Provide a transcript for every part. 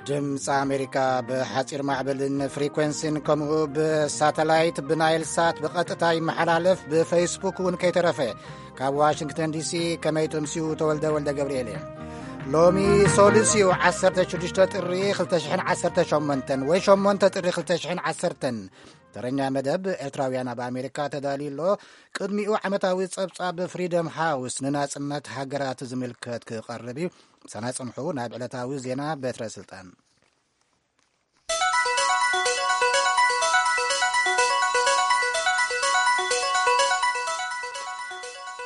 ድምፂ ኣሜሪካ ብሓፂር ማዕበልን ፍሪኮንሲን ከምኡ ብሳተላይት ብናይል ሳት ብቐጥታ ይመሓላለፍ፣ ብፌስቡክ እውን ከይተረፈ። ካብ ዋሽንግተን ዲሲ ከመይ ትምስዩ? ተወልደ ወልደ ገብርኤል እየ። ሎሚ ሶሉስ እዩ፣ ዓሰርተ ሽዱሽተ ጥሪ ክልተ ሽሕን ዓሰርተ ሸሞንተን ወይ ሸሞንተ ጥሪ ክልተ ሽሕን ዓሰርተን። ተረኛ መደብ ኤርትራውያን ኣብ ኣሜሪካ ተዳልዩ ኣሎ። ቅድሚኡ ዓመታዊ ጸብጻብ ፍሪደም ሃውስ ንናጽነት ሃገራት ዝምልከት ክቐርብ እዩ። ምሳና ጽንሑ። ናብ ዕለታዊ ዜና በትረ ስልጣን።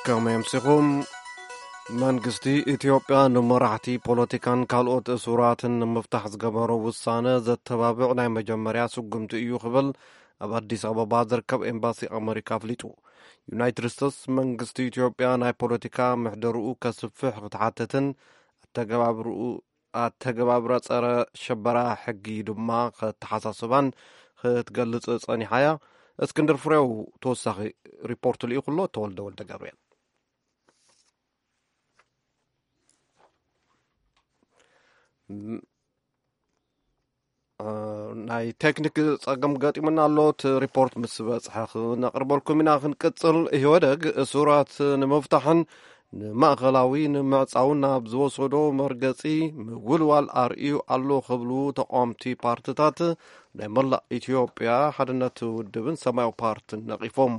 ከመይ ኣምሲኹም? መንግስቲ ኢትዮጵያ ንመራሕቲ ፖለቲካን ካልኦት እሱራትን ንምፍታሕ ዝገበሮ ውሳነ ዘተባብዕ ናይ መጀመርያ ስጉምቲ እዩ ክብል ኣብ ኣዲስ ኣበባ ዝርከብ ኤምባሲ ኣመሪካ ኣፍሊጡ። ዩናይትድ ስቴትስ መንግስቲ ኢትዮጵያ ናይ ፖለቲካ ምሕደርኡ ከስፍሕ ክትሓትትን ኣተገባብርኡ ኣተገባብራ ጸረ ሸበራ ሕጊ ድማ ከተሓሳስባን ክትገልጽ ጸኒሓ እያ። እስክንድር ፍሬው ተወሳኺ ሪፖርት ልኢኹ ኣሎ። ተወልደ ወልደ ገብርኤል። ም-፣ እ፣ ናይ ቴክኒክ ጸገም ገጢሙና ኣሎ። እቲ ሪፖርት ምስ በጽሐ ክነቕርበልኩም ኢና። ክንቅጽል፣ ኢህወደግ እሱራት ንምፍታሕን ንማእከላዊ ንምዕጻውን ናብ ዝወሰዶ መርገጺ ምውልዋል ኣርእዩ ኣሎ ክብሉ ተቃወምቲ ፓርትታት ናይ መላእ ኢትዮጵያ ሓድነት ውድብን ሰማያዊ ፓርትን ነቒፎም።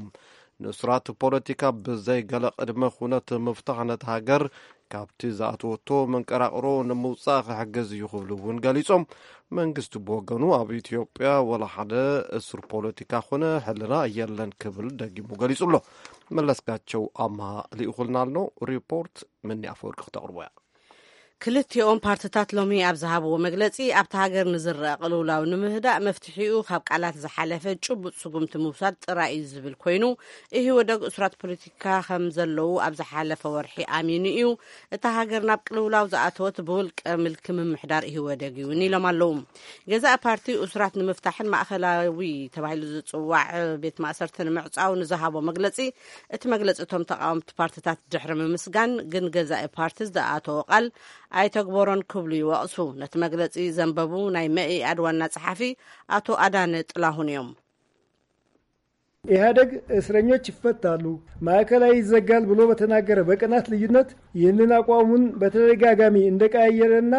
ንእሱራት ፖለቲካ ብዘይ ገለ ቅድመ ኩነት ምፍታሕ ነቲ ሃገር ካብቲ ዝኣተወቶ መንቀራቕሮ ንምውጻእ ክሕግዝ እዩ ክብሉ እውን ገሊጾም። መንግስቲ ብወገኑ ኣብ ኢትዮጵያ ወላ ሓደ እሱር ፖለቲካ ኮነ ሕልና የለን ክብል ደጊሙ ገሊጹ ኣሎ። መለስካቸው ኣምሃ ልኢኹልና ኣሎ። ሪፖርት ምኒ ኣፈወርቂ ክተቕርቦ እያ። ክልቲኦም ፓርትታት ሎሚ ኣብ ዝሃብዎ መግለጺ፣ ኣብታ ሃገር ንዝረአ ቅልውላው ንምህዳእ መፍትሒኡ ካብ ቃላት ዝሓለፈ ጭቡጥ ስጉምቲ ምውሳድ ጥራይ እዩ ዝብል ኮይኑ፣ ኢህወደግ እሱራት ፖለቲካ ከም ዘለዉ ኣብ ዝሓለፈ ወርሒ ኣሚኑ እዩ። እታ ሃገር ናብ ቅልውላው ዝኣተወት ብውልቀ ምልኪ ምምሕዳር ኢህወደግ እዩ እውን ኢሎም ኣለዉ። ገዛኢ ፓርቲ እሱራት ንምፍታሕን ማእከላዊ ተባሂሉ ዝጽዋዕ ቤት ማእሰርቲ ንምዕጻው ንዝሃቦ መግለጺ፣ እቲ መግለጺ እቶም ተቃወምቲ ፓርትታት ድሕሪ ምምስጋን፣ ግን ገዛኢ ፓርቲ ዝኣተዎ ቃል ኣይተግበሮን ክብሉ ይወቕሱ። ነቲ መግለጺ ዘንበቡ ናይ መኢኣድ ዋና ጸሓፊ ኣቶ ኣዳነ ጥላሁን እዮም። ኢህአደግ እስረኞች ይፈታሉ፣ ማዕከላዊ ይዘጋል ብሎ በተናገረ በቀናት ልዩነት ይህንን አቋሙን በተደጋጋሚ እንደቀያየረና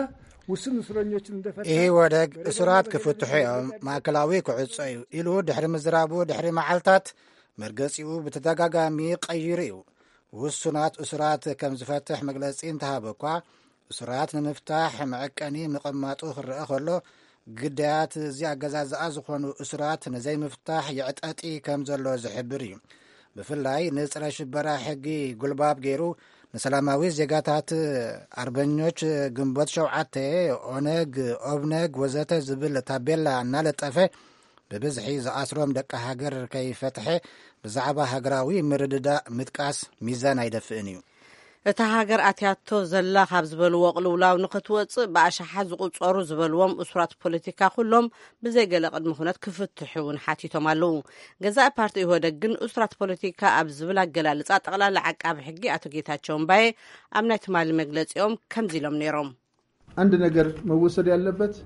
ውስን እስረኞችን እንደፈታ ኢህወደግ እሱራት ክፍትሑ እዮም፣ ማእከላዊ ክዕጾ እዩ ኢሉ ድሕሪ ምዝራቡ ድሕሪ መዓልታት መርገጺኡ ብተደጋጋሚ ቀይሩ እዩ። ውሱናት እሱራት ከም ዝፈትሕ መግለጺ እንተሃበ እኳ፣ እሱራት ንምፍታሕ መዐቀኒ ምቕማጡ ክረአ ከሎ፣ ግዳያት እዚ ኣገዛዝኣ ዝኾኑ እሱራት ንዘይምፍታሕ የዕጠጢ ከም ዘሎ ዝሕብር እዩ። ብፍላይ ንጸረ ሽበራ ሕጊ ጉልባብ ገይሩ ንሰላማዊ ዜጋታት ኣርበኞች ግንቦት ሸውዓተ፣ ኦነግ፣ ኦብነግ ወዘተ ዝብል ታቤላ እናለጠፈ ብብዝሒ ዝኣስሮም ደቂ ሃገር ከይፈትሐ ብዛዕባ ሃገራዊ ምርድዳእ ምጥቃስ ሚዛን ኣይደፍእን እዩ። እታ ሃገር ኣትያቶ ዘላ ካብ ዝበልዎ ቅልውላው ንኽትወጽእ ብኣሽሓት ዝቑጸሩ ዝበልዎም እሱራት ፖለቲካ ኩሎም ብዘይገለ ቅድመ ኩነት ክፍትሑ እውን ሓቲቶም ኣለዉ። ገዛኢ ፓርቲ ኢህወደግ ግን እሱራት ፖለቲካ ኣብ ዝብል ኣገላልጻ ጠቕላላ ዓቃቢ ሕጊ ኣቶ ጌታቸው እምባዬ ኣብ ናይ ትማሊ መግለጺኦም ከምዚ ኢሎም ነይሮም። አንድ ነገር መወሰድ ያለበት፣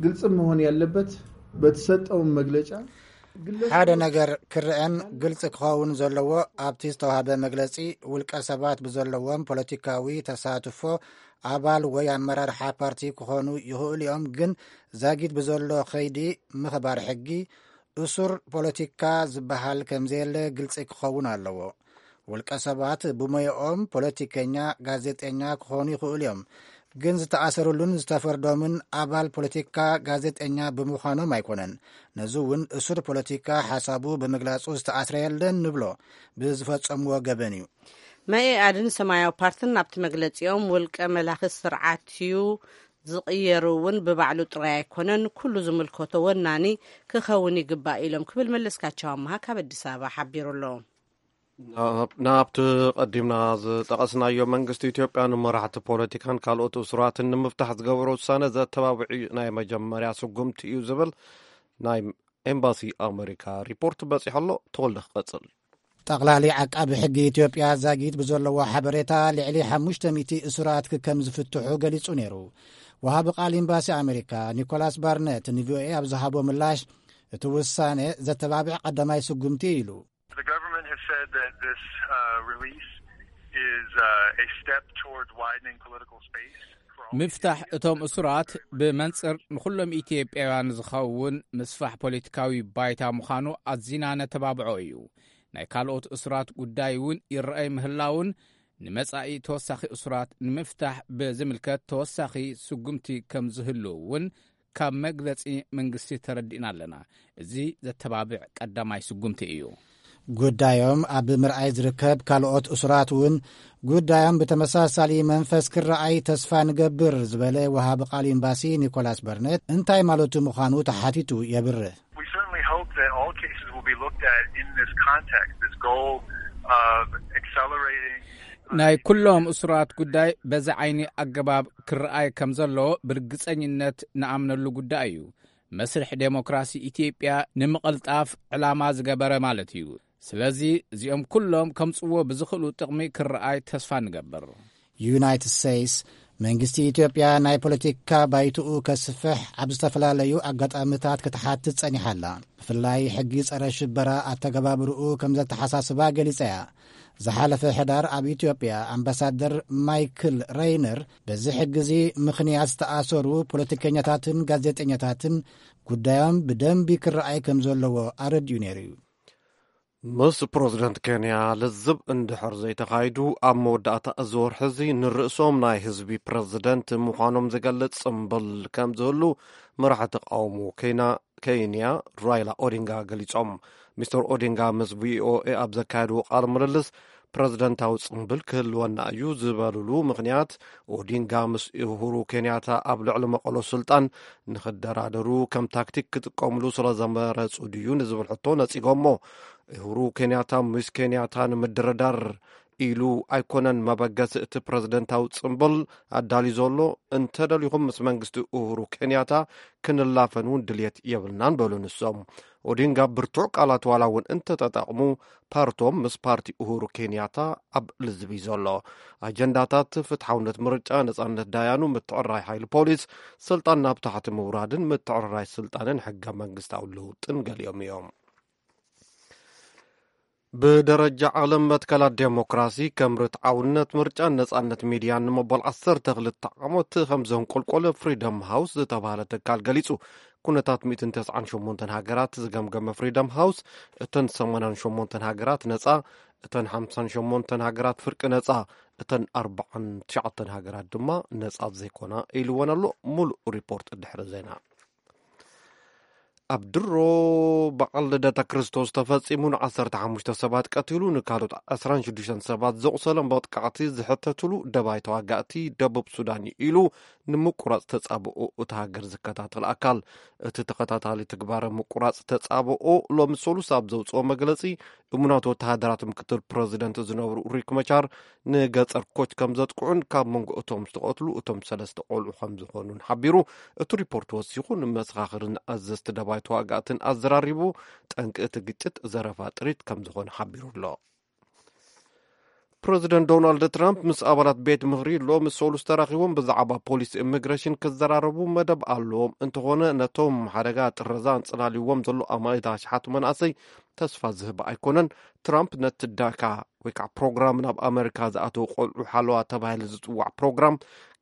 ግልጽ መሆን ያለበት በተሰጠው መግለጫ ግለሰቦች ሓደ ነገር ክረአን ግልጽ ክኸውን ዘለዎ፣ ኣብቲ ዝተዋህበ መግለጺ ውልቀ ሰባት ብዘለዎም ፖለቲካዊ ተሳትፎ ኣባል ወይ ኣመራርሓ ፓርቲ ክኾኑ ይኽእሉ እዮም፣ ግን ዛጊት ብዘሎ ከይዲ ምኽባር ሕጊ እሱር ፖለቲካ ዝበሃል ከምዘየለ ግልጺ ክኸውን ኣለዎ። ውልቀ ሰባት ብሞያኦም ፖለቲከኛ፣ ጋዜጠኛ ክኾኑ ይኽእሉ እዮም። ግን ዝተኣሰሩሉን ዝተፈርዶምን ኣባል ፖለቲካ ጋዜጠኛ ብምዃኖም ኣይኮነን። ነዚ እውን እሱር ፖለቲካ ሓሳቡ ብምግላጹ ዝተኣስረ የለን ንብሎ፣ ብዝፈጸምዎ ገበን እዩ። መኢኣድን ሰማያዊ ፓርትን ኣብቲ መግለጺኦም፣ ውልቀ መላኺ ስርዓት እዩ ዝቕየር እውን ብባዕሉ ጥራይ ኣይኮነን፣ ኩሉ ዝምልከቶ ወናኒ ክኸውን ይግባእ ኢሎም ክብል መለስካቸው ኣምሃ ካብ ኣዲስ ኣበባ ሓቢሩ ኣሎ። ናብ-፣ ናብቲ ቀዲምና ዝጠቐስናዮ መንግስቲ ኢትዮጵያ ንመራሕቲ ፖለቲካን ካልኦት እሱራትን ንምፍታሕ ዝገበሮ ውሳነ ዘተባብዕ ናይ መጀመርያ ስጉምቲ እዩ ዝብል ናይ ኤምባሲ ኣመሪካ ሪፖርት በጺሑ ኣሎ። ተወልደ ክቐጽል። ጠቕላሊ ዓቃቢ ሕጊ ኢትዮጵያ ዛጊት ብዘለዎ ሓበሬታ ልዕሊ ሓሙሽተ ሚእቲ እሱራት ከም ዝፍትሑ ገሊጹ ነይሩ። ወሃቢ ቃል ኤምባሲ ኣሜሪካ ኒኮላስ ባርነት ንቪኦኤ ኣብ ዝሃቦ ምላሽ፣ እቲ ውሳነ ዘተባብዕ ቀዳማይ ስጉምቲ ኢሉ። The government has said that this uh, release is uh, a step toward widening political space. For all ምፍታሕ Ethiopians እቶም to እሱራት express ብመንጽር ንኹሎም ኢትዮጵያውያን ዝኸውን ምስፋሕ ፖለቲካዊ ባይታ ምዃኑ ኣዚና ነተባብዖ እዩ። ናይ ካልኦት እሱራት ጉዳይ እውን ይረኣይ ምህላውን ንመጻኢ ተወሳኺ እሱራት ንምፍታሕ ብዝምልከት ተወሳኺ ስጉምቲ ከም ዝህሉ እውን ካብ መግለጺ መንግስቲ ተረዲእና ኣለና። እዚ ዘተባብዕ ቀዳማይ ስጉምቲ እዩ። ጉዳዮም ኣብ ምርኣይ ዝርከብ ካልኦት እሱራት እውን ጉዳዮም ብተመሳሳሊ መንፈስ ክረኣይ ተስፋ ንገብር ዝበለ ወሃቢ ቃል ኤምባሲ ኒኮላስ በርነት እንታይ ማለቱ ምዃኑ ተሓቲቱ የብርህ። We certainly hope that all cases will be looked at in this context, this goal of accelerating ናይ ኩሎም እሱራት ጉዳይ በዚ ዓይኒ ኣገባብ ክረኣይ ከም ዘሎ ብርግጸኝነት ንኣምነሉ ጉዳይ እዩ። መስርሕ ዴሞክራሲ ኢትዮጵያ ንምቕልጣፍ ዕላማ ዝገበረ ማለት እዩ። ስለዚ እዚኦም ኩሎም ከምጽዎ ብዝኽእሉ ጥቕሚ ክረኣይ ተስፋ ንገብር። ዩናይትድ ስቴትስ መንግስቲ ኢትዮጵያ ናይ ፖለቲካ ባይትኡ ከስፍሕ ኣብ ዝተፈላለዩ ኣጋጣሚታት ክትሓትት ጸኒሓ ኣላ። ብፍላይ ሕጊ ጸረ ሽበራ ኣተገባብርኡ ከም ዘተሓሳስባ ገሊጸ እያ። ዝሓለፈ ሕዳር ኣብ ኢትዮጵያ ኣምባሳደር ማይክል ሬይነር በዚ ሕጊ እዚ ምኽንያት ዝተኣሰሩ ፖለቲከኛታትን ጋዜጠኛታትን ጉዳዮም ብደንቢ ክረኣይ ከም ዘለዎ ኣረዲኡ ነይሩ እዩ። ምስ ፕረዚደንት ኬንያ ልዝብ እንድሕር ዘይተኻይዱ፣ ኣብ መወዳእታ እዚ ወርሒ እዚ ንርእሶም ናይ ህዝቢ ፕረዚደንት ምዃኖም ዝገልጽ ጽምብል ከም ዝህሉ መራሒ ተቃውሞ ኬና-፣ ኬንያ ራይላ ኦዲንጋ ገሊጾም። ሚስተር ኦዲንጋ ምስ ቪኦኤ ኣብ ዘካየድዎ ቃለ ምልልስ፣ ፕረዚደንታዊ ጽምብል ክህልወና እዩ ዝበሉሉ ምኽንያት፣ ኦዲንጋ ምስ ኡሁሩ ኬንያታ ኣብ ልዕሊ መቐሎ ስልጣን ንኽደራደሩ ከም ታክቲክ ክጥቀምሉ ስለ ዘመረጹ ድዩ ንዝብል ሕቶ ነጺጎሞ። ኡሁሩ ኬንያታ ምስ ኬንያታ ንምድርዳር ኢሉ ኣይኮነን መበገሲ እቲ ፕረዚደንታዊ ጽምብል ኣዳልዩ ዘሎ። እንተደሊኹም ምስ መንግስቲ ኡሁሩ ኬንያታ ክንላፈን እውን ድልየት የብልናን በሉ ንሶም። ኦዲንጋ ብርቱዕ ቃላት ዋላ እውን እንተተጠቕሙ፣ ፓርቶም ምስ ፓርቲ ኡሁሩ ኬንያታ ኣብ ልዝብ እዩ ዘሎ። ኣጀንዳታት ፍትሓውነት ምርጫ፣ ነጻነት ዳያኑ፣ ምትዕርራይ ሓይሊ ፖሊስ፣ ስልጣን ናብ ታሕቲ ምውራድን ምትዕርራይ ስልጣንን ሕገ መንግስታዊ ለውጥን ገሊኦም እዮም። ብደረጃ ዓለም መትከላት ዴሞክራሲ ከም ርትዓውነት ምርጫን ነጻነት ሚድያን ንመበል ዓሰርተ ክልተ ዓመት ከም ዘንቆልቆለ ፍሪደም ሃውስ ዝተባህለ ትካል ገሊጹ። ኩነታት ሚእትን ተስዓን ሸሞንተን ሃገራት ዝገምገመ ፍሪደም ሃውስ፣ እተን ሰማንያን ሸሞንተን ሃገራት ነጻ፣ እተን ሓምሳን ሸሞንተን ሃገራት ፍርቂ ነጻ፣ እተን ኣርባዓን ትሽዓተን ሃገራት ድማ ነጻ ዘይኮና ኢልወን ኣሎ። ሙሉእ ሪፖርት ድሕሪ ዜና። ኣብ ድሮ በዓል ልደተ ክርስቶስ ተፈጺሙ ንዓሰርተ ሓሙሽተ ሰባት ቀቲሉ ንካልኦት ዕስራን ሽዱሽተን ሰባት ዘቑሰለ መጥቃዕቲ ዝሕተትሉ ደባይ ተዋጋእቲ ደቡብ ሱዳን እዩ ኢሉ ንምቁራጽ ተጻብኦ እታ ሃገር ዝከታተል ኣካል። እቲ ተኸታታሊ ትግባረ ምቁራጽ ተጻብኦ ሎሚ ሰሉስ ኣብ ዘውጽኦ መግለጺ፣ እሙናት ወተሃደራት ምክትል ፕረዚደንት ዝነብሩ ሪክ መቻር ንገጸር ኮች ከም ዘጥቅዑን ካብ መንጎ እቶም ዝተቐትሉ እቶም ሰለስተ ቆልዑ ከም ዝኾኑን ሓቢሩ። እቲ ሪፖርት ወሲኹ ንመሰኻኽርን ኣዘዝቲ ደባይ ተዋጋእትን ኣዘራሪቡ፣ ጠንቂ እቲ ግጭት ዘረፋ ጥሪት ከም ዝኾነ ሓቢሩ ኣሎ። ፕረዚደንት ዶናልድ ትራምፕ ምስ ኣባላት ቤት ምኽሪ ሎሚ ሰሉስ ተራኺቦም ብዛዕባ ፖሊሲ ኢሚግሬሽን ክዘራረቡ መደብ ኣለዎም። እንተኾነ ነቶም ሓደጋ ጥረዛ ኣንጸላልይዎም ዘሎ ኣማኢት ኣሽሓት መናእሰይ ተስፋ ዝህብ ኣይኮነን። ትራምፕ ነቲ ዳካ ወይ ከዓ ፕሮግራም ናብ ኣመሪካ ዝኣተዉ ቆልዑ ሓለዋ ተባሂሉ ዝጽዋዕ ፕሮግራም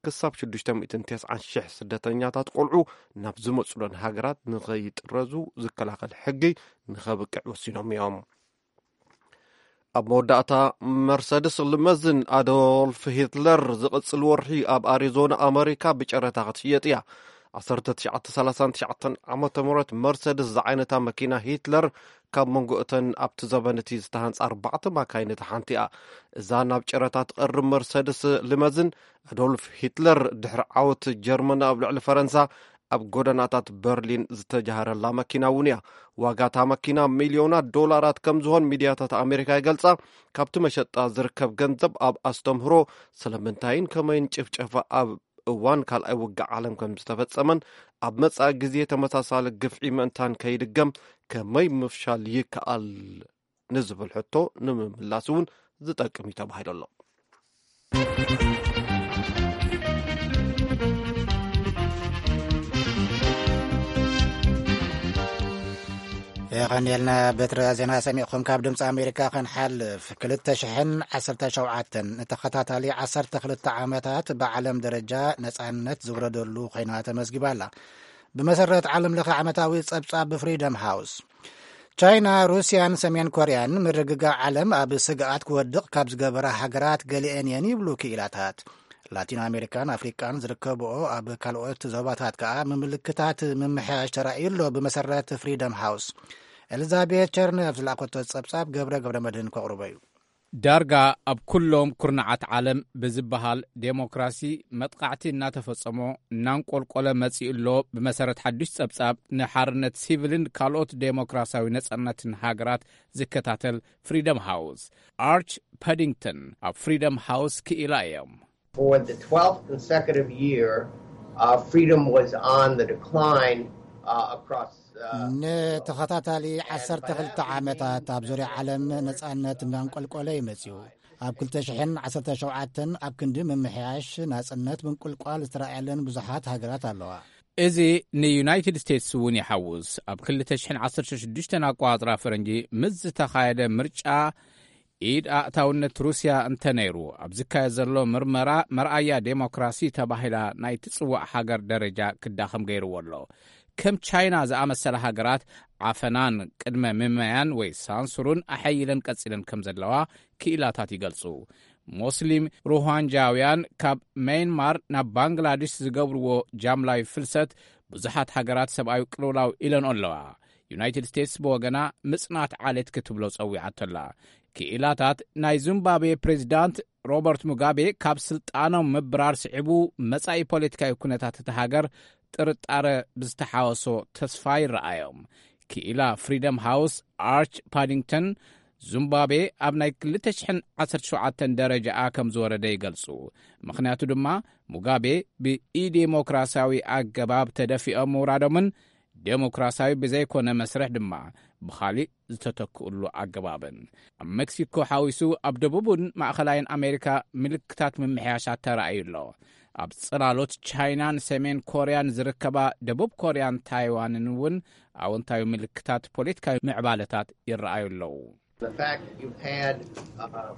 ክሳብ ሽዱሽተ ሚእትን ተስዓን ሽሕ ስደተኛታት ቆልዑ ናብ ዝመጽለን ሃገራት ንኸይጥረዙ ዝከላኸል ሕጊ ንኸብቅዕ ወሲኖም እዮም። ኣብ መወዳእታ መርሰድስ ልመዝን ኣዶልፍ ሂትለር ዝቕጽል ወርሒ ኣብ ኣሪዞና ኣመሪካ ብጨረታ ክትሽየጥ እያ። ዓሰርተ ትሽዓተ ሰላሳን ትሽዓተን ዓመተ ምህረት መርሰድስ ዝዓይነታ መኪና ሂትለር ካብ መንጎ እተን ኣብቲ ዘበን እቲ ዝተሃንጻ ኣርባዕተ ማካይን እታ ሓንቲ እያ። እዛ ናብ ጨረታ ትቐርብ መርሰድስ ልመዝን ኣዶልፍ ሂትለር ድሕሪ ዓወት ጀርመን ኣብ ልዕሊ ፈረንሳ ኣብ ጎደናታት በርሊን ዝተጃሃረላ መኪና እውን እያ። ዋጋ እታ መኪና ሚልዮናት ዶላራት ከም ዝኾን ሚድያታት ኣሜሪካ ይገልጻ። ካብቲ መሸጣ ዝርከብ ገንዘብ ኣብ ኣስተምህሮ ስለምንታይን ከመይን ጭፍጨፋ ኣብ እዋን ካልኣይ ውግእ ዓለም ከም ዝተፈጸመን ኣብ መጻኢ ግዜ ተመሳሳሊ ግፍዒ ምእንታን ከይድገም ከመይ ምፍሻል ይከኣል ንዝብል ሕቶ ንምምላስ እውን ዝጠቅም እዩ ተባሂሉ ኣሎ። የቐንየልና። በትረ ዜና ሰሚዕኹም ካብ ድምፂ ኣሜሪካ ክንሓልፍ፣ ክልተ ሽሕን ዓሰርተ ሸውዓተን ንተኸታታሊ ዓሰርተ ክልተ ዓመታት ብዓለም ደረጃ ነፃነት ዝውረደሉ ኮይና ተመዝጊባ ኣላ። ብመሰረት ዓለም ለኸ ዓመታዊ ጸብጻብ ብፍሪደም ሃውስ፣ ቻይና፣ ሩስያን ሰሜን ኮርያን ምርግጋዕ ዓለም ኣብ ስግኣት ክወድቕ ካብ ዝገበራ ሃገራት ገሊአን እየን ይብሉ ክኢላታት። ላቲን ኣሜሪካን ኣፍሪቃን ዝርከብኦ ኣብ ካልኦት ዞባታት ከኣ ምምልክታት ምምሕያሽ ተራእዩ ኣሎ። ብመሰረት ፍሪደም ሃውስ፣ ኤልዛቤት ቸርነፍ ዝለኣኸቶ ጸብጻብ ገብረ ገብረ መድህን ከቕርቦ እዩ። ዳርጋ ኣብ ኩሎም ኩርናዓት ዓለም ብዝበሃል ዴሞክራሲ መጥቃዕቲ እናተፈጸሞ እናንቆልቆለ መጺኡ ኣሎ። ብመሰረት ሓዱሽ ጸብጻብ ንሓርነት ሲቪልን ካልኦት ዴሞክራሲያዊ ነጻነትን ሃገራት ዝከታተል ፍሪደም ሃውስ፣ ኣርች ፓዲንግተን ኣብ ፍሪደም ሃውስ ክኢላ እዮም። For the twelfth consecutive year, uh, freedom was on the decline uh, across. Uh, ንተኸታታሊ ዓሰርተ ክልተ ዓመታት ኣብ ዙርያ ዓለም ነጻነት እናንቆልቆለ እዩ መጺኡ። ኣብ ክልተ ሽሕን ዓሰርተ ሸውዓተን ኣብ ክንዲ ምምሕያሽ ናጽነት ምንቁልቋል ዝተራእየለን ብዙሓት ሃገራት ኣለዋ። እዚ ንዩናይትድ ስቴትስ እውን ይሓውስ። ኣብ ክልተ ሽሕን ዓሰርተ ሽዱሽተን ኣቋጽራ ፈረንጂ ምስ ዝተኻየደ ምርጫ ኢድ ኣእታውነት ሩስያ እንተነይሩ፣ ኣብ ዝካየድ ዘሎ ምርመራ መርኣያ ዴሞክራሲ ተባሂላ ናይ ትጽዋዕ ሃገር ደረጃ ክዳኸም ገይርዎ ኣሎ። ከም ቻይና ዝኣመሰላ ሃገራት ዓፈናን ቅድመ ምመያን ወይ ሳንሱሩን ኣሐይለን ቀጺለን ከም ዘለዋ ክኢላታት ይገልጹ። ሞስሊም ሩሃንጃውያን ካብ መይንማር ናብ ባንግላዴሽ ዝገብርዎ ጃምላዊ ፍልሰት ብዙሓት ሃገራት ሰብኣዊ ቅልውላው ኢለን ኣለዋ። ዩናይትድ ስቴትስ ብወገና ምጽናት ዓሌት ክትብሎ ጸዊዓቶ ኣላ። ክኢላታት ናይ ዚምባብዌ ፕሬዚዳንት ሮበርት ሙጋቤ ካብ ስልጣኖም ምብራር ስዒቡ መጻኢ ፖለቲካዊ ኩነታት እታ ሃገር ጥርጣረ ብዝተሓወሶ ተስፋ ይረኣዮም። ክኢላ ፍሪደም ሃውስ ኣርች ፓዲንግተን ዚምባብዌ ኣብ ናይ ክልተ ሽሕን ዓሰርተ ሸውዓተን ደረጃኣ ከም ዝወረደ ይገልጹ። ምኽንያቱ ድማ ሙጋቤ ብኢዴሞክራሲያዊ ኣገባብ ተደፊኦም ምውራዶምን ዴሞክራሲያዊ ብዘይኮነ መስርሕ ድማ ብኻሊእ ዝተተክኡሉ ኣገባብን። ኣብ ሜክሲኮ ሓዊሱ ኣብ ደቡብን ማእኸላይን ኣሜሪካ ምልክታት ምምሕያሻት ተራእዩ ኣሎ። ኣብ ጽላሎት ቻይናን ሰሜን ኮርያን ዝርከባ ደቡብ ኮርያን ታይዋንን እውን ኣወንታዊ ምልክታት ፖለቲካዊ ምዕባለታት ይረኣዩ ኣለዉ። The fact that you've had uh,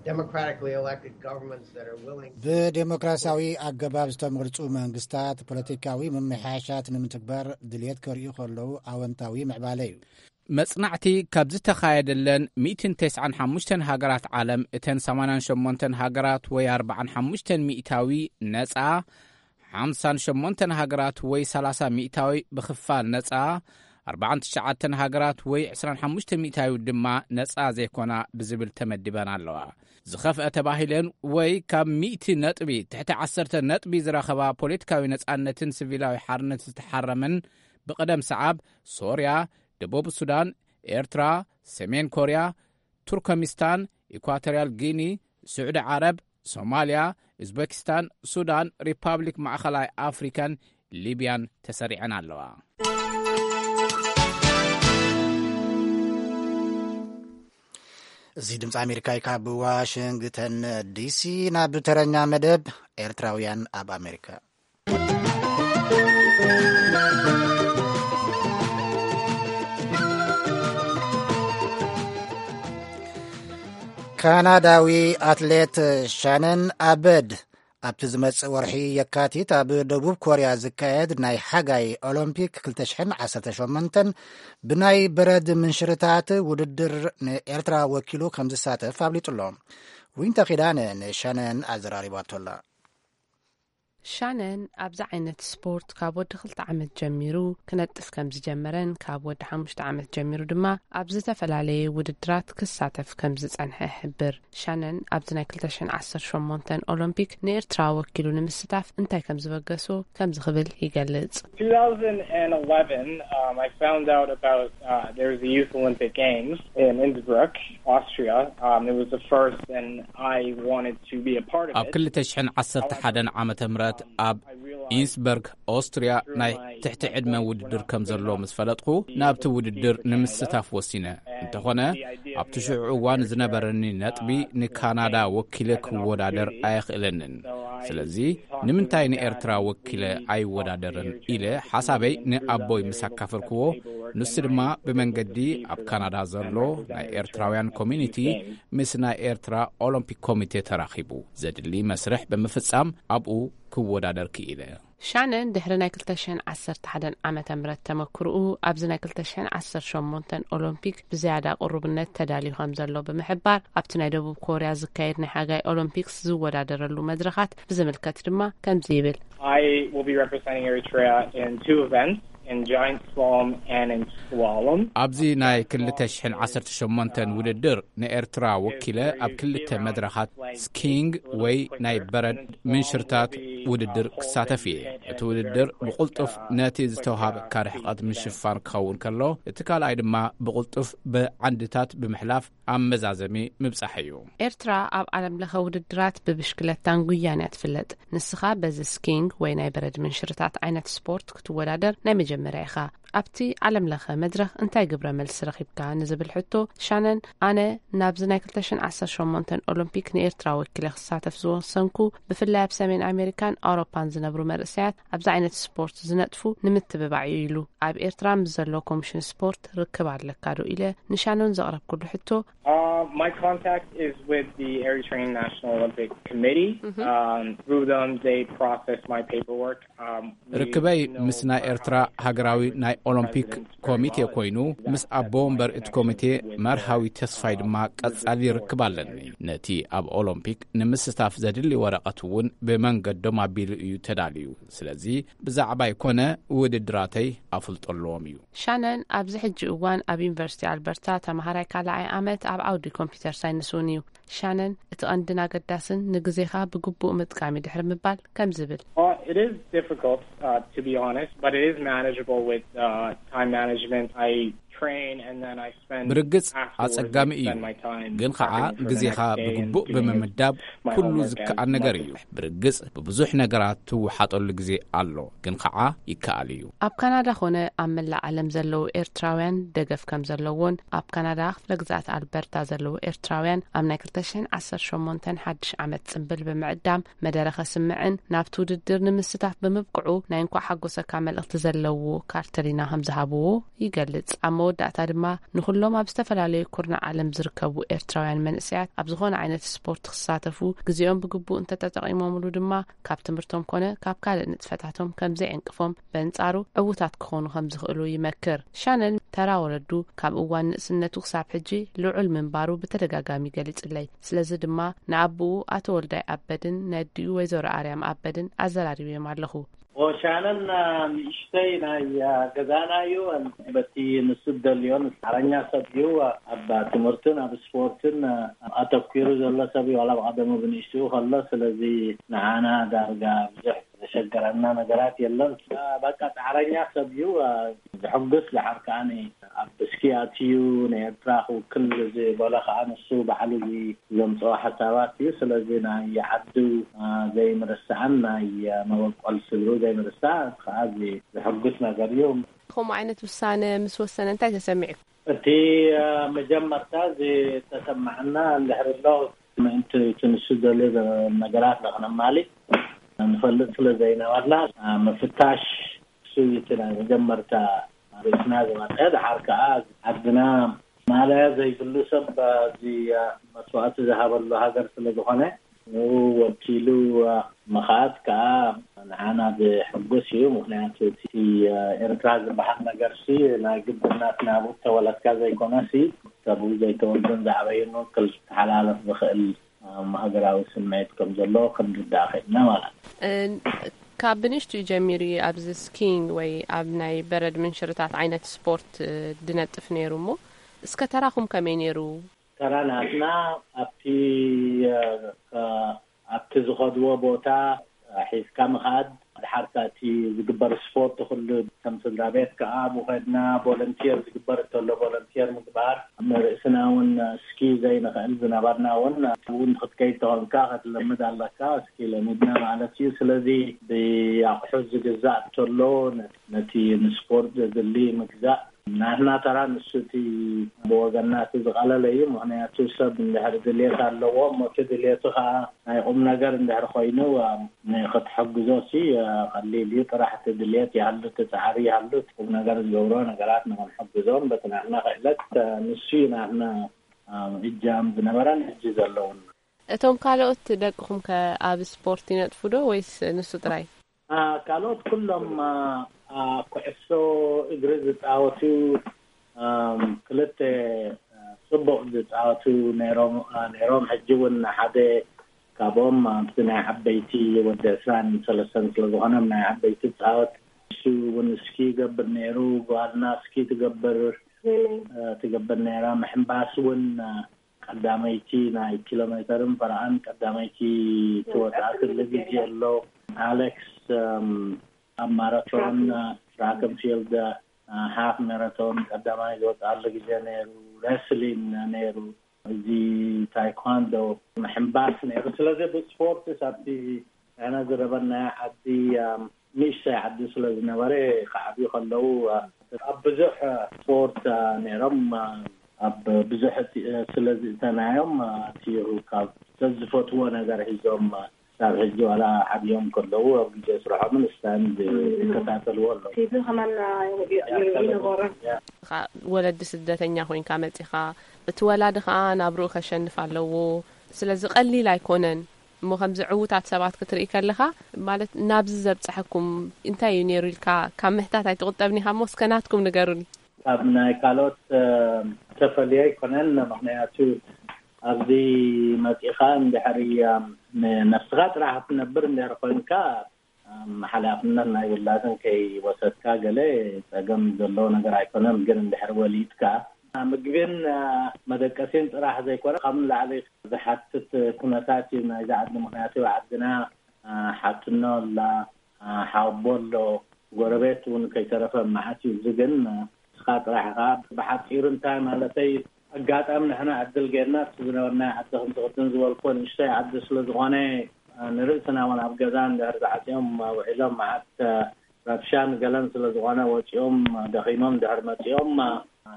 democratically elected governments that are willing ብዴሞክራሲያዊ ኣገባብ ዝተመርጹ መንግስታት ፖለቲካዊ ምምሕያሻት ንምትግባር ድልየት ከርእዩ ከለዉ ኣወንታዊ ምዕባለ እዩ። መጽናዕቲ ካብ ዝተኻየደለን ሚእትን ተስዓን ሓሙሽተን ሃገራት ዓለም፣ እተን ሰማንያን ሸሞንተን ሃገራት ወይ ኣርባዓን ሓሙሽተን ሚእታዊ ነጻ፣ ሓምሳን ሸሞንተን ሃገራት ወይ ሰላሳ ሚእታዊ ብኽፋል ነጻ፣ ኣርባዓን ትሽዓተን ሃገራት ወይ ዕስራን ሓሙሽተ ሚእታዊ ድማ ነጻ ዘይኮና ብዝብል ተመዲበን ኣለዋ። ዝኸፍአ ተባሂለን ወይ ካብ ሚእቲ ነጥቢ ትሕቲ ዓሰርተ ነጥቢ ዝረኸባ ፖለቲካዊ ነጻነትን ሲቪላዊ ሓርነት ዝተሓረመን ብቕደም ሰዓብ ሶርያ፣ ደቡብ ሱዳን፣ ኤርትራ፣ ሰሜን ኮርያ፣ ቱርከሚስታን፣ ኢኳቶርያል ጊኒ፣ ስዑዲ ዓረብ፣ ሶማልያ፣ ኡዝቤኪስታን፣ ሱዳን፣ ሪፓብሊክ ማእኸላይ ኣፍሪካን ሊብያን ተሰሪዐን ኣለዋ። እዚ ድምፂ ኣሜሪካ እዩ። ካብ ዋሽንግተን ዲሲ ናብ ተረኛ መደብ ኤርትራውያን ኣብ ኣሜሪካ። ካናዳዊ ኣትሌት ሻነን ኣበድ ኣብቲ ዝመጽእ ወርሒ የካቲት ኣብ ደቡብ ኮርያ ዝካየድ ናይ ሓጋይ ኦሎምፒክ ክልተ ሽሕን ዓሰርተ ሸሞንተን ብናይ በረድ ምንሽርታት ውድድር ንኤርትራ ወኪሉ ከም ዝሳተፍ ኣፍሊጡ ኣሎ። ዊንታ ኪዳነ ንሻነን ኣዘራሪባቶ ኣላ። ሻነን ኣብዚ ዓይነት ስፖርት ካብ ወዲ ክልተ ዓመት ጀሚሩ ክነጥፍ ከም ዝጀመረን ካብ ወዲ ሓሙሽተ ዓመት ጀሚሩ ድማ ኣብ ዝተፈላለየ ውድድራት ክሳተፍ ከም ዝጸንሐ ይሕብር። ሻነን ኣብዚ ናይ ክልተ ሽሕን ዓሰርተ ሸሞንተን ኦሎምፒክ ንኤርትራ ወኪሉ ንምስታፍ እንታይ ከም ዝበገሶ ከምዚ ክብል ይገልጽ። two thousand eleven, um, I found out about uh, there was a Youth Olympic Games in Innsbruck, Austria. Um, it was the first, and I wanted to be a part of ኣብ it. ክልተ ሽሕን ዓሰርተ ሓደን ዓመተ ምህረት ኣብ ኢንስበርግ ኦስትርያ ናይ ትሕቲ ዕድመ ውድድር ከም ዘሎ ምስ ፈለጥኩ ናብቲ ውድድር ንምስታፍ ወሲነ። እንተኾነ ኣብቲ ሽዑ እዋን ዝነበረኒ ነጥቢ ንካናዳ ወኪለ ክወዳደር ኣየኽእለንን። ስለዚ ንምንታይ ንኤርትራ ወኪለ ኣይወዳደርን ኢለ ሓሳበይ ንኣቦይ ምስ ኣካፈልክዎ ንሱ ድማ ብመንገዲ ኣብ ካናዳ ዘሎ ናይ ኤርትራውያን ኮሚኒቲ ምስ ናይ ኤርትራ ኦሎምፒክ ኮሚቴ ተራኺቡ፣ ዘድሊ መስርሕ ብምፍጻም ኣብኡ ክወዳደር ክኢለ። ሻነን ድሕሪ ናይ ክልተ ሽሕን ዓሰርተ ሓደን ዓመተ ምህረት ተመክርኡ፣ ኣብዚ ናይ ክልተ ሽሕን ዓሰርተ ሸሞንተን ኦሎምፒክ ብዝያዳ ቅሩብነት ተዳልዩ ከም ዘሎ ብምሕባር፣ ኣብቲ ናይ ደቡብ ኮርያ ዝካየድ ናይ ሓጋይ ኦሎምፒክስ ዝወዳደረሉ መድረኻት ብዝምልከት ድማ ከምዚ ይብል። I will be representing Eritrea in two events, in giant slalom and in slalom. ኣብዚ ናይ ክልተ ሽሕን ዓሰርተ ሸሞንተን ውድድር ንኤርትራ ወኪለ ኣብ ክልተ መድረኻት ስኪንግ ወይ ናይ በረድ ምንሽርታት ውድድር ክሳተፍ እየ። እቲ ውድድር ብቕልጡፍ ነቲ ዝተውሃበካ ርሕቐት ምሽፋን ክኸውን ከሎ፣ እቲ ካልኣይ ድማ ብቕልጡፍ ብዓንድታት ብምሕላፍ ኣብ መዛዘሚ ምብጻሕ እዩ። ኤርትራ ኣብ ዓለም ለኸ ውድድራት ብብሽክለታን ጉያን እያ ትፍለጥ። ንስኻ በዚ ስኪንግ ወይ ናይ በረድ ምንሽርታት ዓይነት ስፖርት ክትወዳደር ናይ መጀመርያ ኢኻ። ኣብቲ ዓለም ለኸ መድረኽ እንታይ ግብረ መልሲ ረኺብካ ንዝብል ሕቶ ሻነን፣ ኣነ ናብዚ ናይ ክልተ ሽሕን ዓሰርተ ሸሞንተን ኦሎምፒክ ንኤርትራ ወኪለ ክሳተፍ ዝወሰንኩ፣ ብፍላይ ኣብ ሰሜን ኣሜሪካን ኣውሮፓን ዝነብሩ መርእሰያት ኣብዚ ዓይነት ስፖርት ዝነጥፉ ንምትብባዕ እዩ ኢሉ። ኣብ ኤርትራ ምስ ዘሎ ኮሚሽን ስፖርት ርክብ ኣለካ ዶ ኢለ ንሻነን ዘቕረብኩሉ ሕቶ፣ Uh, my contact is with the Eritrean National Olympic Committee. Um, through them, they process my paperwork. Um, we ርክበይ know ምስ ናይ what ኤርትራ ሃገራዊ ናይ ኦሎምፒክ ኮሚቴ ኮይኑ፣ ምስ ኣቦ ወንበር እቲ ኮሚቴ መርሃዊ ተስፋይ ድማ ቀጻሊ ርክብ ኣለኒ። ነቲ ኣብ ኦሎምፒክ ንምስታፍ ዘድሊ ወረቐት እውን ብመንገዶም ኣቢሉ እዩ ተዳልዩ። ስለዚ ብዛዕባይ ኮነ ውድድራተይ ኣፍልጦ ኣለዎም እዩ። ሻነን ኣብዚ ሕጂ እዋን ኣብ ዩኒቨርሲቲ ኣልበርታ ተማሃራይ ካልኣይ ዓመት ኣብ ዓውዲ ኮምፒውተር ሳይንስ እውን እዩ። ሻነን፣ እቲ ቀንድን ኣገዳስን ንግዜኻ ብግቡእ ምጥቃም እዩ ድሕሪ ምባል ከም ዝብል። Uh, it is difficult, uh, to be honest, but it is manageable with uh, time management. I train and then I spend ብርግጽ afterwards, ኣጸጋሚ I እዩ፣ spend my time ግን ኸዓ prepping for the ግዜኻ next day and ብግቡእ doing as ብምምዳብ my ኩሉ homework ዝከኣል as ነገር much እዩ። As ብርግጽ ብብዙሕ ነገራት ትወሓጠሉ ግዜ ኣሎ፣ ግን ኸዓ ይከኣል እዩ። ኣብ ካናዳ ኾነ ኣብ መላእ ዓለም ዘለዉ ኤርትራውያን ደገፍ ከም ዘለዎን፣ ኣብ ካናዳ ክፍለ ግዝኣት ኣልበርታ ዘለዉ ኤርትራውያን ኣብ ናይ ክልተ ሽሕን ዓሰርተ ሸሞንተን ሓድሽ ዓመት ጽምብል ብምዕዳም መደረ ከስምዕን ናብቲ ውድድር ንምስታፍ ብምብቅዑ ናይ እንኳዕ ሓጎሰካ መልእኽቲ ዘለዎ ካርተሊና ከም ዝሃብዎ ይገልጽ። ኣብ መወዳእታ ድማ ንኹሎም ኣብ ዝተፈላለዩ ኩርናዕ ዓለም ዝርከቡ ኤርትራውያን መንእሰያት ኣብ ዝኾነ ዓይነት ስፖርት ክሳተፉ ግዜኦም ብግቡእ እንተተጠቒሞምሉ ድማ ካብ ትምህርቶም ኮነ ካብ ካልእ ንጥፈታቶም ከም ዘይዕንቅፎም፣ በንጻሩ ዕዉታት ክኾኑ ከም ዝኽእሉ ይመክር። ሻነን ተራ ወለዱ ካብ እዋን ንእስነቱ ክሳብ ሕጂ ልዑል ምንባሩ ብተደጋጋሚ ገሊጹለይ። ስለዚ ድማ ንኣቦኡ ኣቶ ወልዳይ ኣበድን ነዲኡ ወይዘሮ ኣርያም ኣበድን ኣዘራሪበዮም ኣለኹ። ሻነን ንእሽተይ ናይ ገዛና እዩ። በቲ ንሱ ደልዮን ጻዕረኛ ሰብ እዩ። ኣብ ትምህርትን ኣብ ስፖርትን ኣተኲሩ ዘሎ ሰብ እዩ። ዋላ ብቐደሙ ብንእሽትኡ ከሎ፣ ስለዚ ንዓና ዳርጋ ብዙሕ ዘሸገረና ነገራት የለን። በቃ ጻዕረኛ ሰብ እዩ። ዘሐጉስ ደሓር ከኣ ኣብ ብስኪ ኣትዩ ንኤርትራ ክውክል ዝበሎ ከኣ ንሱ ባዕሉ ዘምጽኦ ሓሳባት እዩ። ስለዚ ናይ ዓዱ ዘይምርሳዕን ናይ መበቆል ስድሩ ዘይምርሳዕ ከኣ ዘሐጉስ ነገር እዩ። ከምኡ ዓይነት ውሳነ ምስ ወሰነ እንታይ ተሰሚዑ? እቲ መጀመርታ ዝተሰማዓና እንድሕር ኣሎ ምእንቲ እቲ ንሱ ዘለ ነገራት ንክነማሊ ንፈልጥ ስለ ዘይነበርና ምፍታሽ እሱ እቲ ናይ መጀመርታ ርእስና ዝመፀ። ድሓር ከዓ ዓድና ማለያ ዘይብሉ ሰብ እዚ መስዋእቲ ዝሃበሉ ሃገር ስለ ዝኾነ ንኡ ወኪሉ ምኻድ ከዓ ንዓና ዝሕጉስ እዩ። ምክንያቱ እቲ ኤርትራ ዝበሃል ነገርሲ ናይ ግድን ናትና ብኡ ተወለድካ ዘይኮነሲ ካብኡ ዘይተወልዱን ዝዓበዩን ክተሓላለፍ ዝኽእል ሃገራዊ ስምዒት ከም ዘሎ ክንርዳእ ኽኢልና ማለት እዩ። ካብ ብንእሽትኡ ጀሚሩ እዩ ኣብዚ ስኪንግ ወይ ኣብ ናይ በረድ ምንሽርታት ዓይነት ስፖርት ድነጥፍ ነይሩ እሞ እስከ ተራኹም ከመይ ነይሩ? ተራ ናትና ኣብቲ ኣብቲ ዝኸድዎ ቦታ ሒዝካ ምኻድ። ድሓር እቲ ዝግበር ስፖርት ኩሉ ከም ስድራ ቤት ከዓ ኣብኡ ከድና ቮለንቲር ዝግበር እንተሎ ቮለንቲር ምግባር፣ ንርእስና እውን እስኪ ዘይንኽእል ዝነበርና እውን እውን ክትከይድ ተኾንካ ክትለምድ ኣለካ። እስኪ ለሚድና ማለት እዩ። ስለዚ ብኣቑሑ ዝግዛእ እንተሎ ነቲ ንስፖርት ዘድሊ ምግዛእ ናትና ተራ ንሱ እቲ ብወገንና እቲ ዝቐለለ እዩ። ምኽንያቱ ሰብ እንድሕር ድልየት ኣለዎ፣ እሞ እቲ ድልየቱ ኸዓ ናይ ቁም ነገር እንድሕር ኮይኑ፣ እ፣ ንኽትሕግዞ ሲ፣ እ፣ ቀሊል እዩ። ጥራሕ እቲ ድልየት ይሃሉ፣ እቲ ጻዕሪ ይሃሉ፣ እቲ ቁም ነገር ዝገብሮ ነገራት ንኽንሕግዞም በቲ ናትና ክእለት፣ እ፣ ንሱ እዩ ናትና፣ እ፣ እጃም ዝነበረን ሕጂ ዘለውን። እቶም ካልኦት ደቅኹም ከ ኣብ ስፖርት ይነጥፉ ዶ ወይስ ንሱ ጥራይ? አ፣ ካልኦት ኩሎም፣ አ፣ አ፣ ኩዕሶ እግሪ ዝጻወቱ፣ ኣም፣ ክልተ፣ አ፣ ጽቡቕ ዝጻወቱ ነይሮም፣ አ፣ ነይሮም። ሕጂ እውን ሓደ ካብኦም ኣብቲ ናይ ዓበይቲ ወዲ ዕስራን ሰለስተን ስለ ዝኾነ ናይ ዓበይቲ ጻወት። እሱ እውን ስኪ ይገብር ነይሩ፣ ጓልና ስኪ ትገብር፣ እ፣ ትገብር ነይራ። ምሕንባስ እውን፣ እ፣ ቀዳመይቲ ናይ ኪሎ ሜተርን ፈረቓን ቀዳመይቲ ትወጽኣትሉ ግዜ ኣሎ። ኣሌክስ፣ እም፣ ኣብ ማራቶን፣ ትራክ። እ፣ ትራክ ን ፊልድ፣ እ፣ ሃፍ ማራቶን ቀዳማይ ዝወጽኣሉ ግዜ ነይሩ። ሬስሊን ነይሩ። እዚ ታይኳንዶ፣ ምሕንባስ ነይሩ። ስለዚ ብስፖርትስ ኣብቲ ንሕና ዝረበናዮ ዓዲ፣ ኣም፣ ንእሽተይ ዓዲ ስለ ዝነበረ፣ ክዓብዩ ከለዉ፣ ኣ፣ ኣብ ብዙሕ ስፖርት፣ ኣ፣ ነይሮም፣ ኣ፣ ኣብ ብዙሕ እቲ፣ ስለ ዝእተናዮም፣ ኣ፣ እቲ ካብ ዝፈትዎ ነገር ሒዞም፣ ኣ፣ ክሳብ ሕጂ ዋላ ዓብዮም ከለዉ ኣብ ግዜ ስርሖምን ስታንድ ይከታተልዎ ኣለዉ። ቲቪ ከማን፣ ኣ፣ ይ-፣ ይ-፣ ይነበሮም። ያ። ኻ-፣ ወለዲ ስደተኛ ኮይንካ መጺኻ፣ እቲ ወላዲ ኸኣ ናብርኡ ከሸንፍ ኣለዎ። ስለዚ ቀሊል ኣይኮነን። እሞ ከምዚ ዕዉታት ሰባት ክትርኢ ከለኻ፣ ማለት ናብዚ ዘብጽሐኩም እንታይ እዩ ነይሩ ኢልካ ካብ ምሕታት ኣይትቑጠብን ኢኻ እሞ እስከ ናትኩም ንገሩኒ። ካብ ናይ ካልኦት፣ እ፣ ተፈልየ ኣይኮነን። ምኽንያቱ ኣብዚ መጺኻ እንድሕሪ፣ እ፣ ንነፍስኻ ጥራሕ ክትነብር እንድሕሪ ኮይንካ፣ እ፣ ሓላፍነት ናይ ውላድን ከይወሰድካ ገለ ጸገም ዘለዎ ነገር ኣይኮነን። ግን እንድሕሪ ወሊድካ ምግብን፣ እ፣ መደቀሲን ጥራሕ ዘይኮነ፣ ካብ ንላዕሊ ዝሓትት ኩነታት እዩ ናይዚ ዓዲ። ምኽንያቱ ዓድና፣ እ፣ ሓትኖ ኣላ፣ እ፣ ሓወቦ ኣሎ፣ ጎረቤት እውን ከይተረፈ መዓት እዩ። እዚ ግን፣ እ፣ ንስኻ ጥራሕ ኢኻ። ብሓጺሩ እንታይ ማለተይ፣ ኣጋጣሚ ንሕና ዕድል ጌርና እቲ ዝነበርናዮ ዓዲ ከምዚ ቅድም ዝበልኩዎ ንእሽተይ ዓዲ ስለ ዝኾነ፣ እ፣ ንርእስና እውን ኣብ ገዛ እንድሕር ተዓጽዮም ውዒሎም መዓት፣ እ፣ ረብሻን ገለን ስለ ዝኾነ ወጺኦም ደኺሞም እንድሕር መጺኦም፣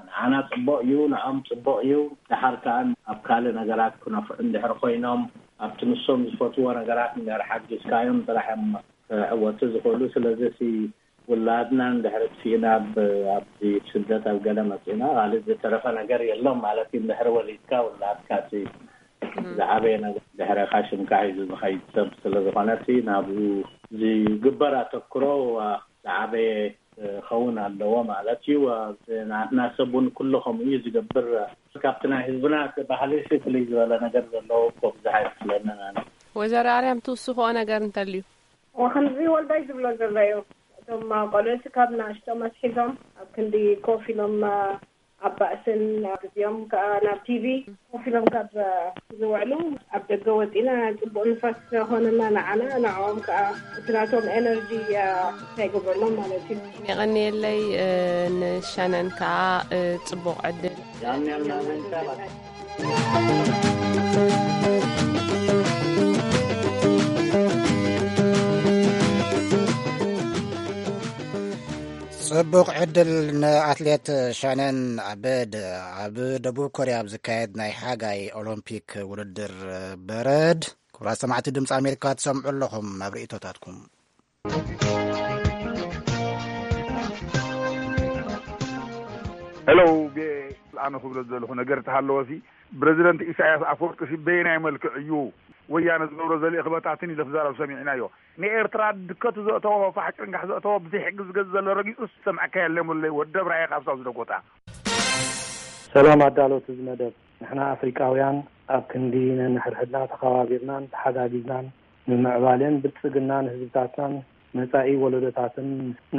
ንዓና ጽቡቕ እዩ፣ ንዖም ጽቡቕ እዩ። ደሓር ከኣ ኣብ ካልእ ነገራት ክነፍዑ እንድሕር ኮይኖም፣ ኣብቲ ንሶም ዝፈትዎ ነገራት እንድሕር ሓጊዝካዮም ጥራሕ እዮም ክዕወቱ ዝኽእሉ። ስለዚ እቲ ውላድና እንድሕር ጥፊእና ኣብ፣ ኣብዚ ስደት ኣብ ገለ መጺእና፣ ካልእ ዝተረፈ ነገር የሎም ማለት እዩ። እንድሕር ወሊድካ ውላድካ እቲ እም። ዝዓበየ ነገር ድሕረኻ ሽምካ ሒዙ ዝኸይድ ሰብ ስለ ዝኾነ፣ እቲ ናብኡ ዝግበር ኣተኩሮ፣ ዋ፣ ዝዓበየ ክኸውን ኣለዎ ማለት እዩ። ናትና ሰብ እውን ኩሉ ከምኡ እዩ ዝገብር። ካብቲ ናይ ህዝብና እቲ ባህሊ ፍልይ ዝበለ ነገር ዘለዎ እኮ ብዙሕ ኣይመስለንን ኣነ። ወይዘሮ ኣርያም ትውስኽኦ ነገር እንተልዩ? ዋ፣ ከምዚ ወልዳይ ዝብሎ ዘሎ እዩ። እቶም ቆልዑ ካብ ንእሽቶም ኣትሒዞም ኣብ ክንዲ ኮፍ ኢሎም ኣብ ባእስን ኣብ ግዜኦም ከኣ ናብ ቲቪ ኮፍ ኢሎም ካብ ዝውዕሉ፣ ኣብ ደገ ወጺና ጽቡቕ ንፋስ ኾነና ንዓና፣ ንዕኦም ከኣ እቲ ናቶም ኤነርጂ፣ እ፣ እንታይ ይገብረሎም ማለት እዩ። የቐንየለይ፣ እ፣ ንሻነን ከኣ፣ እ፣ ጽቡቕ ዕድል። ጽቡቕ ዕድል ንኣትሌት ሻነን ኣበድ። ኣብ ደቡብ ኮርያ ኣብ ዝካየድ ናይ ሓጋይ ኦሎምፒክ ውድድር በረድ። ክቡራት ሰማዕቲ ድምፂ ኣሜሪካ ትሰምዑ ኣለኹም። ኣብ ርእይቶታትኩም። ሄሎ፣ ብ-፣ ኣነ ክብሎ ዘለኹ ነገር ተሃለወሲ፣ ፕረዚደንት ኢሳያስ ኣፈወርቂ ሲ በየናይ መልክዕ እዩ ወያነ ዝገብሮ ዘልኢ ክበታትን ኢለ ክዛረብ ሰሚዕናዮ። ንኤርትራ ድከቱ ዘእተዎ፣ ፋሕ ጭንጋሕ ዘእተዎ፣ ብዘይ ሕጊ ዝገዝ ዘሎ ረጊጹ ዝሰምዐካ የለን፣ ወለይ ወደብ ራእየ ካብ ሳው ዝደጎታ። ሰላም ኣዳለውቲ እዚ መደብ። ንሕና ኣፍሪቃውያን ኣብ ክንዲ ነንሕድሕድና ተኸባቢርናን ተሓጋጊዝናን ንምምዕባልን ብልጽግናን ህዝብታትናን መጻኢ ወለዶታትን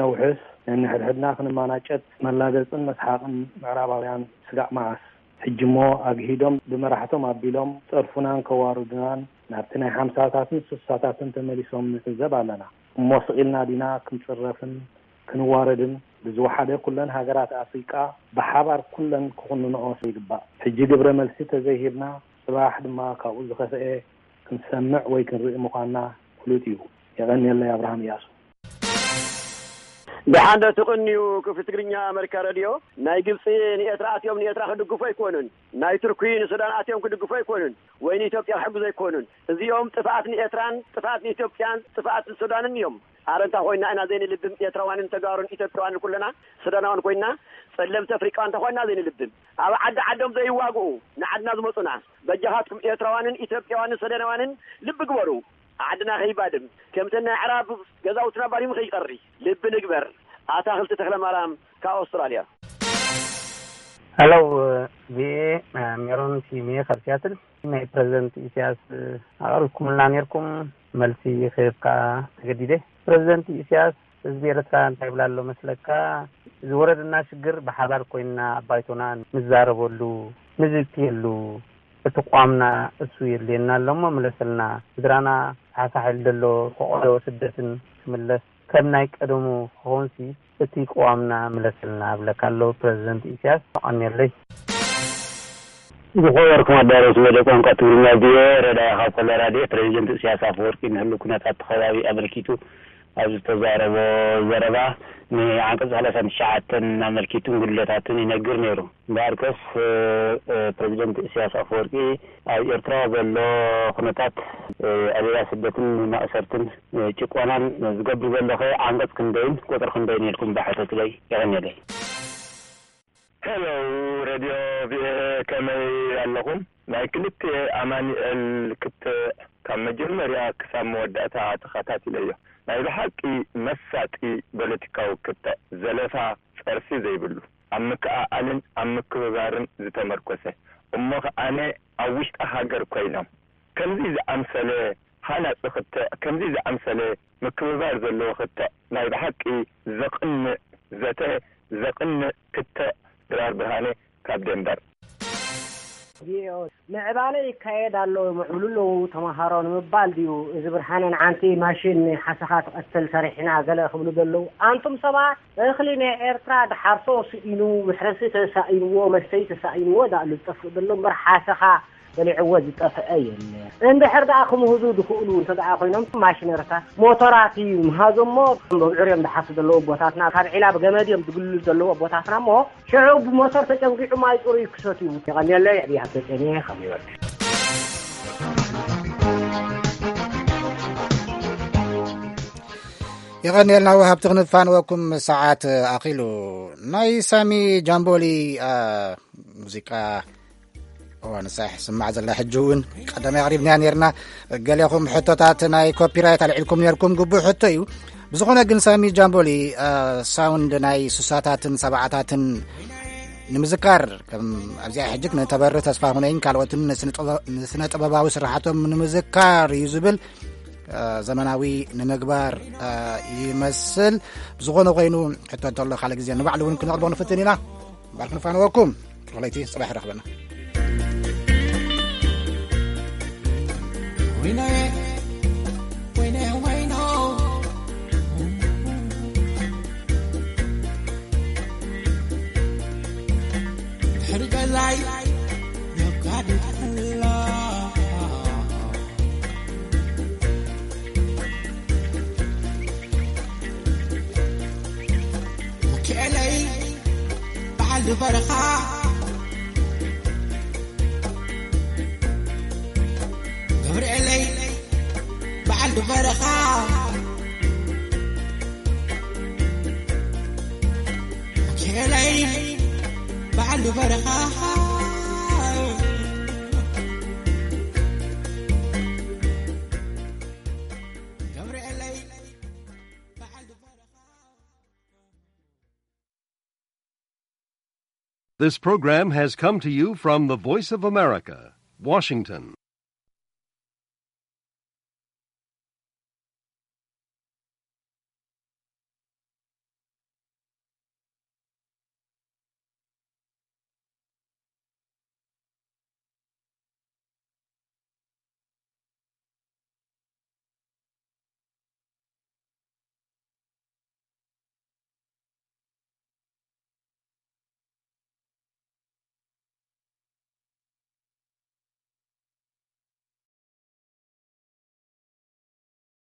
ነውሕስ፣ ነንሕድሕድና ክንማናጨት መላገጽን መስሓቕን ምዕራባውያን ስጋዕ መዓስ? ሕጂ እሞ ኣግሂዶም ብመራሕቶም ኣቢሎም ጸርፉናን ከዋርዱናን ናብቲ ናይ ሓምሳታትን ስሳታትን ተመሊሶም ንዕዘብ ኣለና። እሞ ስቕ ኢልና ዲና ክንጽረፍን ክንዋረድን? ብዝወሓደ ኩለን ሃገራት ኣፍሪቃ ብሓባር ኩለን ክኹንንኦ ይግባእ። ሕጂ ግብረ መልሲ ተዘይሂብና ጽባሕ ድማ ካብኡ ዝኸፍኤ ክንሰምዕ ወይ ክንርኢ ምዃንና ፍሉጥ እዩ። የቐንየለይ፣ ኣብርሃም እያሱ። ደሓን ዶ ትቕንዩ? ክፍሊ ትግርኛ ኣመሪካ ሬድዮ። ናይ ግብፂ ንኤርትራ ኣትዮም ንኤርትራ ክድግፉ ኣይኮኑን። ናይ ቱርኪ ንሱዳን ኣትዮም ክድግፉ ኣይኮኑን። ወይ ንኢትዮጵያ ክሕግዙ ኣይኮኑን። እዚኦም ጥፍኣት ንኤርትራን ጥፍኣት ንኢትዮጵያን ጥፍኣት ንሱዳንን እዮም። ኣረ እንታ ኮይና ኢና ዘይንልብም? ኤርትራውያንን ተጋሩን ኢትዮጵያውያንን ኩለና ሱዳናውያን ኮይና ጸለምቲ ኣፍሪቃውያን እንታ ኮይና ዘይንልብም? ኣብ ዓዲ ዓዶም ዘይዋግኡ ንዓድና ዝመጹና። በጃኻትኩም ኤርትራውያንን ኢትዮጵያውያንን ሱዳናውያንን ልቢ ግበሩ። ዓድና ከይባድም፣ ከምተን ናይ ኣዕራብ ገዛውትና ባዲሙ ከይቀሪ ልቢ ንግበር። ኣታኽልቲ ተኽለ ማርያም ካብ ኣውስትራልያ። ሄሎ፣ ቪኤ፣ ሜሮን ሲሜ ካብ ሲያትል። ናይ ፕረዚደንት ኢሳያስ ኣቕሪብኩምልና ኔርኩም፣ መልሲ ክህብ ከኣ ተገዲደ። ፕረዚደንት ኢሳያስ፣ ህዝቢ ኤርትራ እንታይ ይብላ ኣሎ መስለካ? ዝወረደና ሽግር ብሓባር ኮይንና ኣብ ባይቶና ንዛረበሉ፣ ንዝትየሉ፣ እቲ ቅዋምና እሱ የድልየና ኣሎ እሞ ምለሰልና። ስድራና ሳሕሳሕ ኢሉ ዘሎ ፈቐዶ ስደትን ክምለስ፣ ከም ናይ ቀደሙ ክኾንሲ እቲ ቅዋምና ምለሰልና እብለካ ኣሎ ፕረዚደንት ኢሳያስ። ኣቐንየለይ። ዝኸበርኩም ኣዳለውቲ መደብ ቋንቋ ትግርኛ ቪኦኤ፣ ረዳኢ ካብ ኮሎራዶ። ፕረዚደንት ኢሳያስ ኣፈወርቂ ንህሉ ኩነታት እቲ ከባቢ ኣመልኪቱ ኣብ ዝተዛረቦ ዘረባ፣ ንዓንቀጽ ሰላሳን ትሽዓተን ኣመልኪቱን ጉድለታትን ይነግር ነይሩ። እምበኣርከስ፣ እ፣ እ፣ ፕረዚደንት ኢሳያስ ኣፈወርቂ ኣብ ኤርትራ ዘሎ ኩነታት፣ እ፣ ኣደዳ ስደትን ማእሰርትን፣ እ፣ ጭቆናን ዝገብር ዘሎ ከ ዓንቀጽ ክንደይን ቁጽሪ ክንደይን ኢልኩም ብሕተቱለይ። የቐንየለይ። ሄሎ፣ ሬድዮ ቪኦኤ፣ ከመይ ኣለኹም? ናይ ክልተ ኣማኑኤል ክተ ካብ መጀመርያ ክሳብ መወዳእታ ተኸታቲለዮ። ናይ ብሓቂ መሳጢ ፖለቲካዊ ክተ፣ ዘለፋ፣ ጸርፊ ዘይብሉ፣ ኣብ ምክእኣልን ኣብ ምክብባርን ዝተመርኮሰ፣ እሞ ኸኣነ ኣብ ውሽጢ ሃገር ኮይኖም ከምዚ ዝኣምሰለ ሃናጺ ክተ፣ ከምዚ ዝኣምሰለ ምክብባር ዘለዎ ክተ፣ ናይ ብሓቂ ዘቕንእ ዘተ፣ ዘቕንእ ክተ። ድራር ብርሃነ ካብ ደንበር። ቪኦኤ፣ ምዕባለ ይካየድ ኣሎ፣ ይምዕብሉ ኣለዉ ተመሃሮ ንምባል ድዩ? እዚ ብርሃነ ንዓንቲ ማሽን ሓሰኻ ትቐትል ሰሪሕና ገለ ክብሉ ዘለዉ። ኣንቱም ሰባት፣ እኽሊ ናይ ኤርትራ ድሓርሶ ስኢኑ፣ መሕረሲ ተሳኢንዎ፣ መስተይ ተሳኢንዎ፣ ዳእሉ ዝጠፍእ ዘሎ እምበር ሓሰኻ በሊዕዎ ዝጠፍአ የለ። እንድሕር ደኣ ክምህዙ ዝኽእሉ እንተ ደኣ ኮይኖም፣ ማሽነርታት፣ ሞቶራት እዩ ምሃዞሞ፣ ብዕር እዮም ዝሓሱ ዘለዉ ኣቦታትና፣ ካብ ዒላ ብገመድ እዮም ዝግልሉ ዘለዉ ኣቦታትና እሞ፣ ሽዑ ብሞተር ተጨንጊዑ ማይ ጽሩይ ክሰትዩ። የቐንየለይ፣ ዕብይ ሃብተ ጸኒየ ካብ ኒውዮርክ። የቐንየልና ወሃብቲ ክንፋንወኩም፣ ሰዓት ኣኺሉ። ናይ ሳሚ ጃምቦሊ፣ አ፣ ሙዚቃ እዋ ንሳሕ ስማዕ ዘላ ሕጂ እውን ቀዳማይ ኣቕሪብናያ ነርና። ገሌኹም ሕቶታት ናይ ኮፒራይት ኣልዒልኩም ነርኩም፣ ግቡእ ሕቶ እዩ። ብዝኾነ ግን ሳሚ ጃምቦሊ፣ አ፣ ሳውንድ ናይ ስሳታትን ሰብዓታትን ንምዝካር፣ ከም ኣብዚኣ ሕጂ ንተበሪ ተስፋ ሁነይን ካልኦትን ንስነ ጥበ-፣ ንስነ ጥበባዊ ስራሓቶም ንምዝካር እዩ ዝብል፣ አ፣ ዘመናዊ ንምግባር፣ አ፣ ይመስል። ብዝኾነ ኮይኑ ሕቶ እንተሎ ካልእ ግዜ ንባዕሉ እውን ክነቕርቦ ንፍትን ኢና። እምበር ክንፋንወኩም። ርሑስ ለይቲ፣ ጽባሕ ይረኽበና። ወይነ፣ ወይነ፣ ወይኖ። ድሕሪ ገዛይ ነጋድድ ኣላ። ሚካኤለይ በዓል በረኻ፣ ገብርኤለይ በዓል በረኻ፣ ሚካኤለይ በዓል በረኻ፣ ገብርኤለይ በዓል በረኻ። This program has come to you from the Voice of America, Washington.